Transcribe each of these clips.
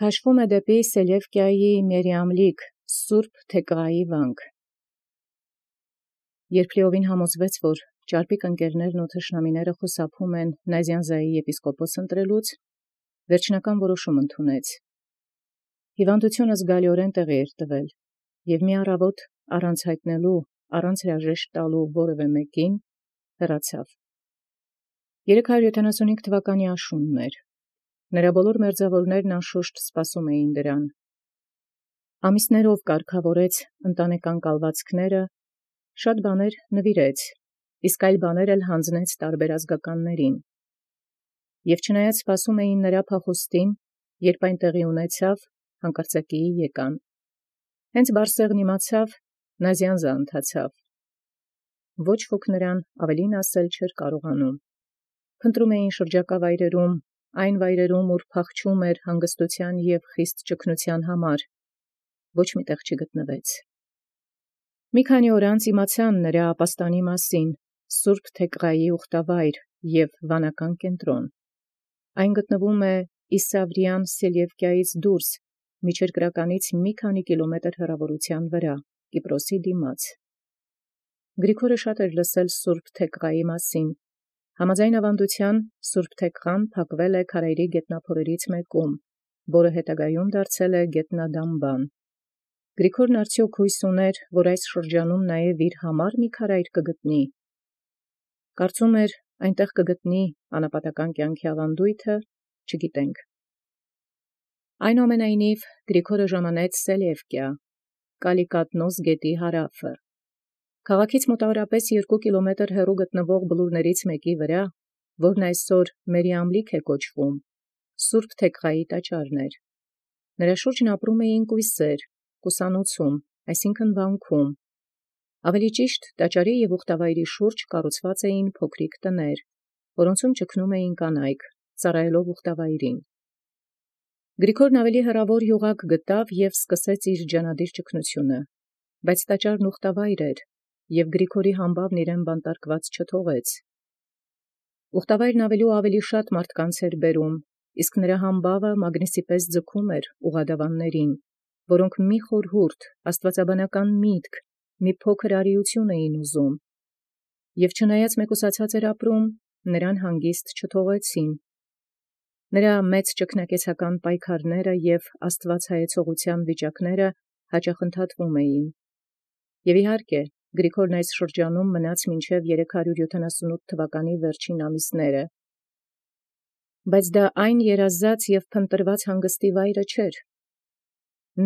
Քաշվում է դեպի Սելևկիայի Մերիամլիկ Սուրբ Թեքղայի վանք։ Երբ լիովին համոզվեց, որ ճարպիկ ընկերներն ու թշնամիները խուսափում են Նազյանզայի եպիսկոպոս ընտրելուց, վերջնական որոշում ընդունեց։ Հիվանդությունը զգալիորեն տեղի էր տվել, և մի առավոտ առանց հայտնելու, առանց հրաժեշտ տալու որևէ մեկին հեռացավ։ 375 թվականի աշունն էր։ Նրա բոլոր մերձավորներն անշուշտ սպասում էին դրան։ Ամիսներով կարգավորեց ընտանեկան կալվածքները, շատ բաներ նվիրեց, իսկ այլ բաներ էլ հանձնեց տարբեր ազգականներին։ Եվ չնայած սպասում էին նրա փախուստին, երբ այն տեղի ունեցավ, հանկարծակիի եկան։ Հենց Բարսեղն իմացավ, Նազյանզը ընթացավ։ Ոչ ոք նրան ավելին ասել չէր կարողանում։ Փնտրում էին շրջակա վայրերում, այն վայրերում, ուր փախչում էր հանգստության և խիստ ճգնության համար, ոչ մի տեղ չգտնվեց։ Մի քանի օր անց իմացան նրա ապաստանի մասին, Սուրբ Թեքղայի ուխտավայր և վանական կենտրոն։ Այն գտնվում է Իսավրյան Սելևկիայից դուրս, միջերկրականից մի քանի կիլոմետր հեռավորության վրա, Կիպրոսի դիմաց։ Գրիգորը շատ էր լսել Սուրբ Թեքղայի մասին։ Համաձայն ավանդության Սուրբ Թեքղան փակվել է քարայրի գետնափորերից մեկում, որը հետագայում դարձել է գետնադամբան։ Գրիգորն արդյոք հույս ուներ, որ այս շրջանում նաև իր համար մի քարայր կգտնի։ Կարծում էր, այնտեղ կգտնի անապատական կյանքի ավանդույթը, չգիտենք։ Այնուամենայնիվ Գրիգորը ժամանեց Սելևկիա, Կալիկատնոս գետի հարավը։ Քաղաքից մոտավորապես 2 կիլոմետր հեռու գտնվող բլուրներից մեկի վրա, որն այսօր Մերիամլիկ է կոչվում, Սուրբ Թեքղայի տաճարն էր։ Նրա շուրջն ապրում էին կույսեր, կուսանոցում, այսինքն վանքում։ Ավելի ճիշտ, տաճարի և ուխտավայրի շուրջ կառուցված էին փոքրիկ տներ, որոնցում ճգնում էին կանայք, ծառայելով ուխտավայրին։ Գրիգորն ավելի հեռավոր յուղակ գտավ և սկսեց իր ջանադիր ճգնությունը, բայց տաճարն ուխտավայր էր, և Գրիգորի համբավն իրեն բանտարկված չթողեց։ Ուխտավայրն ավելի ու ավելի շատ մարդկանց էր բերում, իսկ նրա համբավը մագնիսի պես ձգում էր ուղղադավաններին, որոնք մի խորհուրդ, աստվածաբանական միտք, մի փոքր արիություն էին ուզում։ Եվ չնայած մեկուսացած էր ապրում, նրան հանգիստ չթողեցին։ Նրա մեծ ճգնակեցական պայքարները և աստվածհայեցողության վիճակները հաճախ ընդհատվում էին։ Եվ իհարկե, Գրիգորն այս շրջանում մնաց մինչև 378 թվականի վերջին ամիսները։ Բայց դա այն երազած և փնտրված հանգստի վայրը չէր։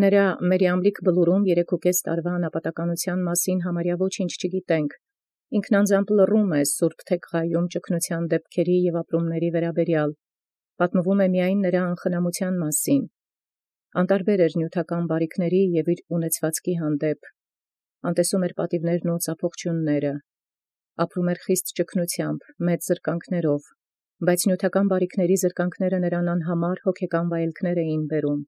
Նրա Մերիամլիկ բլուրում 3.5 տարվա անապատականության մասին համարյա ոչինչ չգիտենք։ Ինքն անձամբ լռում է Սուրբ Թեքղայում ճգնության դեպքերի և ապրումների վերաբերյալ։ Պատմվում է միայն նրա անխնամության մասին։ Անտարբեր էր նյութական բարիքների և իր ունեցվածքի հանդեպ։ Անտեսում էր պատիվներն ու ծափողջյունները։ Ապրում էր խիստ ճգնությամբ, մեծ զրկանքներով, բայց նյութական բարիքների զրկանքները նրան անհամար հոգեկան վայելքներ էին բերում։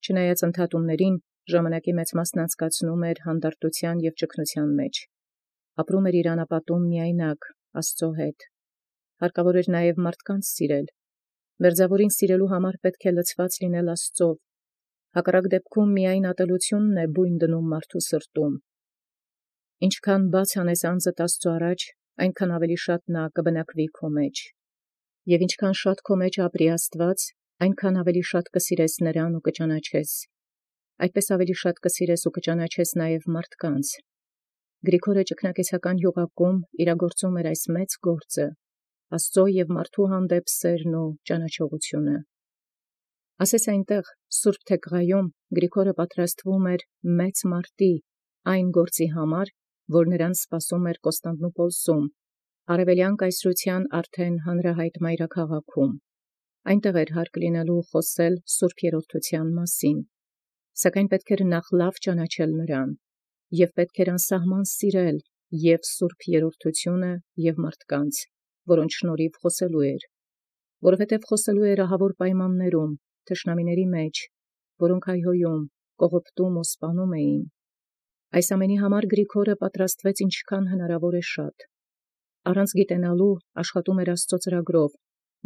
Չնայած ընդհատումներին, ժամանակի մեծ մասն անցկացնում էր հանդարտության և ճգնության մեջ։ Ապրում էր իր անապատում միայնակ, Աստծո հետ։ Հարկավոր էր նաև մարդկանց սիրել։ Մերձավորին սիրելու համար պետք է լցված լինել Աստծով։ Հակառակ դեպքում միայն ատելությունն է բույն դնում մարդու սրտում։ Ինչքան բաց անես անձդ Աստծո առաջ, այնքան ավելի շատ նա կբնակվի քո մեջ։ Եվ ինչքան շատ քո մեջ ապրի Աստված, այնքան ավելի շատ կսիրես նրան ու կճանաչես։ Այդպես ավելի շատ կսիրես ու կճանաչես նաև մարդկանց։ Գրիգորը ճգնակեցական յուղակում իրագործում էր այս մեծ գործը, Աստծո և մարդու հանդեպ սերն ու ճանաչողությունը։ Ասես այնտեղ, Սուրբ Թեքղայում, Գրիգորը պատրաստվում էր մեծ մարտի, այն գործի համար, որ նրան սպասում էր Կոստանդնուպոլսում, արևելյան կայսրության արդեն հանրահայտ մայրաքաղաքում։ Այնտեղ էր հարկ լինելու խոսել Սուրբ Երրորդության մասին։ Սակայն պետք էր նախ լավ ճանաչել նրան, և պետք էր անսահման սիրել և Սուրբ Երրորդությունը և մարդկանց, որոնց շնորհիվ խոսելու էր, որովհետև խոսելու էր ահավոր պայմաններում, թշնամիների մեջ, որոնք հայհոյում, կողոպտում ու սպանում էին։ Այս ամենի համար Գրիգորը պատրաստվեց ինչքան հնարավոր է շատ։ Առանց գիտենալու աշխատում էր Աստծո ծրագրով,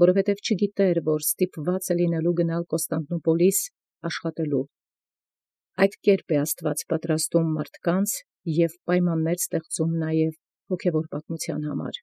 որովհետև չգիտէր, որ ստիպված լինելու գնալ Կոստանդնուպոլիս աշխատելու։ Այդ կերպ Աստուած պատրաստում մարդկանց և պայմաններ ստեղծում նաև հոգևոր պատմութեան համար։